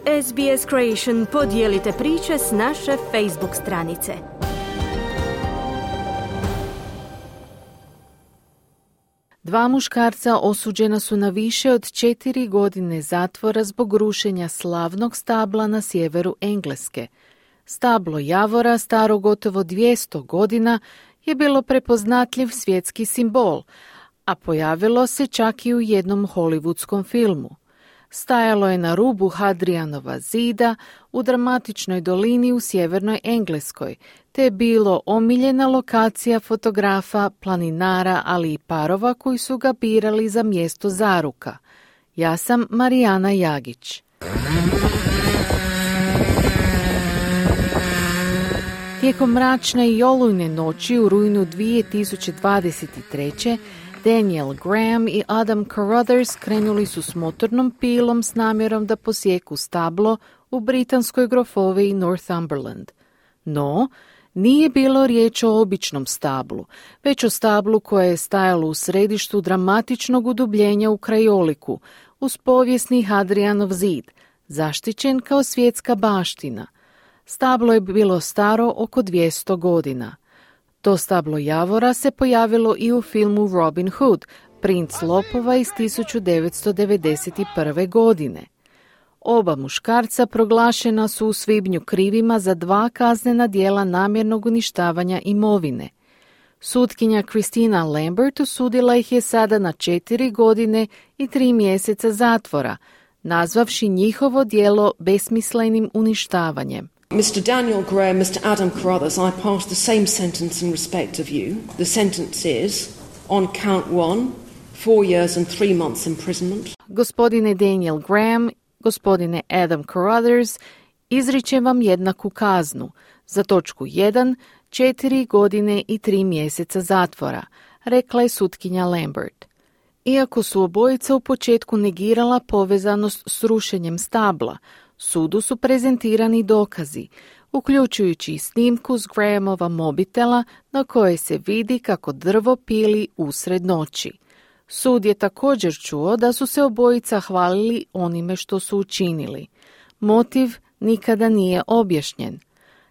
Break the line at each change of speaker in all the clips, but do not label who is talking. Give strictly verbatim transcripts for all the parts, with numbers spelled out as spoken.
S B S Creation podijelite priče s naše Facebook stranice.
Dva muškarca osuđena su na više od četiri godine zatvora zbog rušenja slavnog stabla na sjeveru Engleske. Stablo javora, staro gotovo dvjesto godina, je bilo prepoznatljiv svjetski simbol, a pojavilo se čak i u jednom hollywoodskom filmu. Stajalo je na rubu Hadrianova zida u dramatičnoj dolini u sjevernoj Engleskoj, te je bilo omiljena lokacija fotografa, planinara, ali i parova koji su ga birali za mjesto zaruka. Ja sam Marijana Jagić. Tijekom mračne i olujne noći u rujnu dvije tisuće dvadeset treće. Daniel Graham i Adam Carruthers krenuli su s motornom pilom s namjerom da posjeku stablo u britanskoj grofoviji Northumberland. No, nije bilo riječ o običnom stablu, već o stablu koje je stajalo u središtu dramatičnog udubljenja u krajoliku, uz povijesni Hadrianov zid, zaštićen kao svjetska baština. Stablo je bilo staro oko dvjesto godina. To stablo javora se pojavilo i u filmu Robin Hood, Princ lopova iz tisuću devetsto devedeset prve. godine. Oba muškarca proglašena su u svibnju krivima za dva kaznena djela namjernog uništavanja imovine. Sutkinja Christina Lambert osudila ih je sada na četiri godine i tri mjeseca zatvora, nazvavši njihovo djelo besmislenim uništavanjem.
Mister Daniel Graham, Mister Adam Carruthers, I pass the same sentence in respect of you. The sentence is, on count one, four years and three months imprisonment.
Gospodine Daniel Graham, gospodine Adam Carruthers, izričem vam jednaku kaznu. Za točku jedan, četiri godine i tri mjeseca zatvora, rekla je sutkinja Lambert. Iako su obojica u početku negirala povezanost s rušenjem stabla, sudu su prezentirani dokazi, uključujući i snimku s Grahamova mobitela na kojoj se vidi kako drvo pili usred noći. Sud je također čuo da su se obojica hvalili onime što su učinili. Motiv nikada nije objašnjen.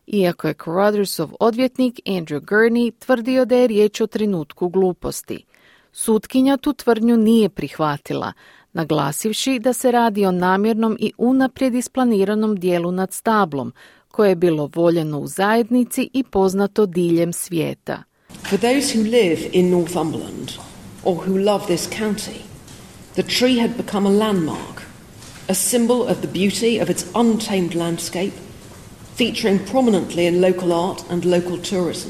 Iako je Carruthersov odvjetnik Andrew Gurney tvrdio da je riječ o trenutku gluposti. Sutkinja tu tvrdnju nije prihvatila, naglasivši da se radi o namjernom i unaprijed isplaniranom dijelu nad stablom, koje je bilo voljeno u zajednici i poznato diljem svijeta.
For those who live in Northumberland or who love this county, the tree had become a landmark, a symbol of the beauty of its untamed landscape, featuring prominently in local art and local tourism.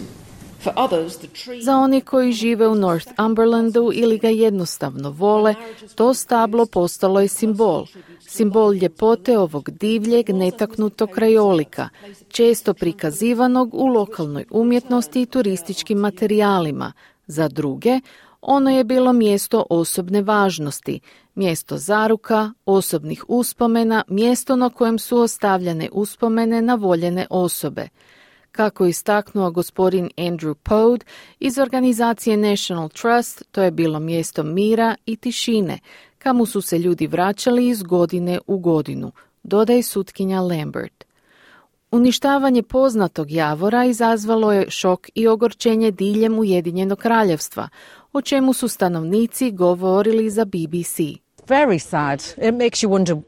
For others, the tree...
Za one koji žive u Northumberlandu ili ga jednostavno vole, to stablo postalo je simbol. Simbol ljepote ovog divljeg, netaknutog krajolika, često prikazivanog u lokalnoj umjetnosti i turističkim materijalima. Za druge, ono je bilo mjesto osobne važnosti, mjesto zaruka, osobnih uspomena, mjesto na kojem su ostavljane uspomene na voljene osobe. Kako je istaknuo gospodin Andrew Pode iz organizacije National Trust, to je bilo mjesto mira i tišine, kamo su se ljudi vraćali iz godine u godinu, dodaje sutkinja Lambert. Uništavanje poznatog javora izazvalo je šok i ogorčenje diljem Ujedinjenog kraljevstva, o čemu su stanovnici govorili za B B C.
Very sad. It makes you wonder,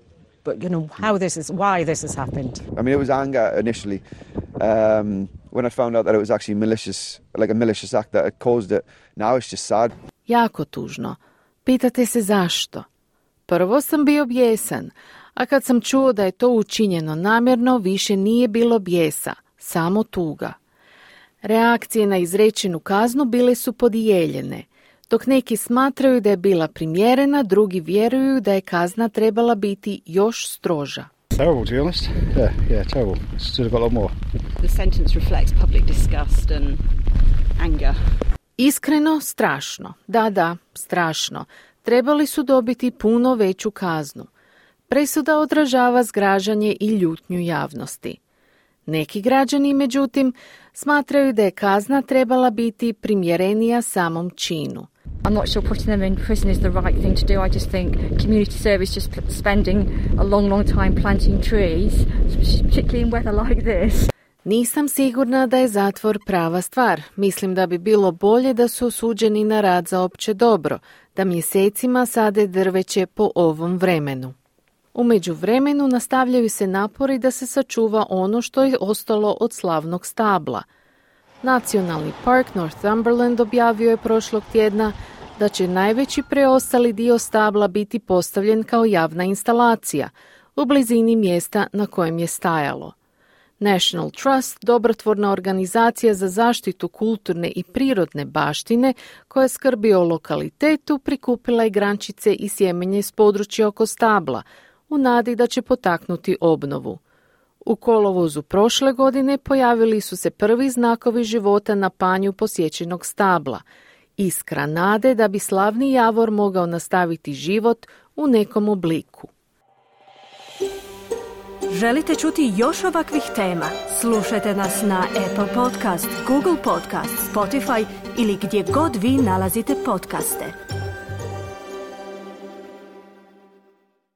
but you know, how this is, why this has happened.
I mean, it was anger initially. Um, when I found out that it was actually malicious, like a malicious act that had caused it. Now it's just sad.
Jako tužno. Pitate se zašto? Prvo sam bio bijesan, a kad sam čuo da je to učinjeno namjerno, više nije bilo bijesa, samo tuga. Reakcije na izrečenu kaznu bile su podijeljene. Dok neki smatraju da je bila primjerena, drugi vjeruju da je kazna trebala biti još stroža.
Terrible, to be honest. Yeah, yeah, terrible. Should have got a lot more.
The sentence reflects public disgust and anger.
Iskreno, strašno. Da, da, strašno. Trebali su dobiti puno veću kaznu. Presuda odražava zgražanje i ljutnju javnosti. Neki građani, međutim, smatraju da je kazna trebala biti primjerenija samom činu.
I'm not sure putting them in prison is the right thing to do. I just think community service, just spending a long, long time planting trees, particularly in weather like this.
Nisam sigurna da je zatvor prava stvar. Mislim da bi bilo bolje da su osuđeni na rad za opće dobro, da mjesecima sade drveće po ovom vremenu. U međuvremenu nastavljaju se napori da se sačuva ono što je ostalo od slavnog stabla. Nacionalni park Northumberland objavio je prošlog tjedna da će najveći preostali dio stabla biti postavljen kao javna instalacija u blizini mjesta na kojem je stajalo. National Trust, dobrotvorna organizacija za zaštitu kulturne i prirodne baštine koja skrbi o lokalitetu, prikupila je grančice i sjemenje s područja oko stabla u nadi da će potaknuti obnovu. U kolovozu prošle godine pojavili su se prvi znakovi života na panju posjećenog stabla, iskra nade da bi slavni javor mogao nastaviti život u nekom obliku.
Želite čuti još ovakvih tema? Slušajte nas na Apple Podcast, Google Podcast, Spotify ili gdje god vi nalazite podcaste.